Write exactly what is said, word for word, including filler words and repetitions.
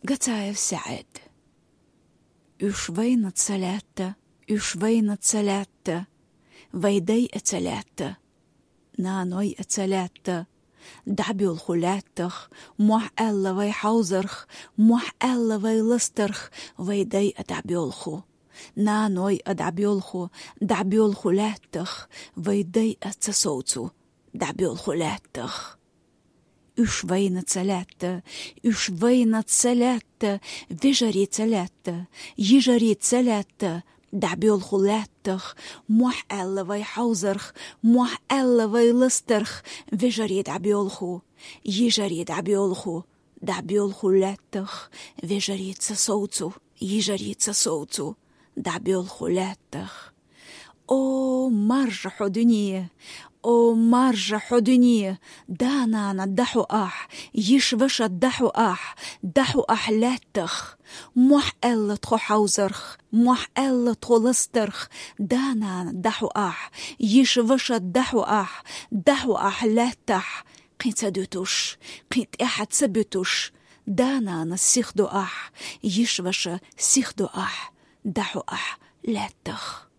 Гацаев СаӀид. Уьш вайна ца лаьтта, уьш вайна ца лаьтта, вай дайна ца лаьтта, нанойна ца лаьтта, дӀабоьлху лаьттах, мохь аьлла вай хьовзарх, мохь аьлла вай ластарх, вай дайна дӀабоьлху. Нанойна дӀабоьлху, дӀабоьлху лаьттах, вай дайна ца совцу, дӀабоьлху лаьттах. Уьш вайна ца лаьтта, уьш вайна ца лаьтта, вежарий ца лаьтта, йижарий ца лаьтта, дӀабоьлху лаьттах, мохь аьлла вай хьовзарх, мохь аьлла вай ластарх, вежарий дӀабоьлху, йижарий дӀабоьлху, дӀабоьлху лаьттах, вежарий ца совцу, йижарий ца совцу, дӀабоьлху лаьттах. О, маржа хьо дуьне! О, маржа хьо дуьне! Да-нана, дӀахьо ахь, йиша-ваша, дӀахьо ахь, дӀахьо ахь лаьттах. Мохь аьлла тхо хьовзарх, мохь аьлла тхо ластарх, да-нана, дӀахьо ахь, йиша-ваша, дӀахьо ахь, дӀахьо ахь лаьттахь, кхин ца дуьтуш, кхин тӀаьхьа ца буьтуш, да-нана сихдо ахь, йиша-ваша сихдо ахь, дӀахьо ахь лаьттах.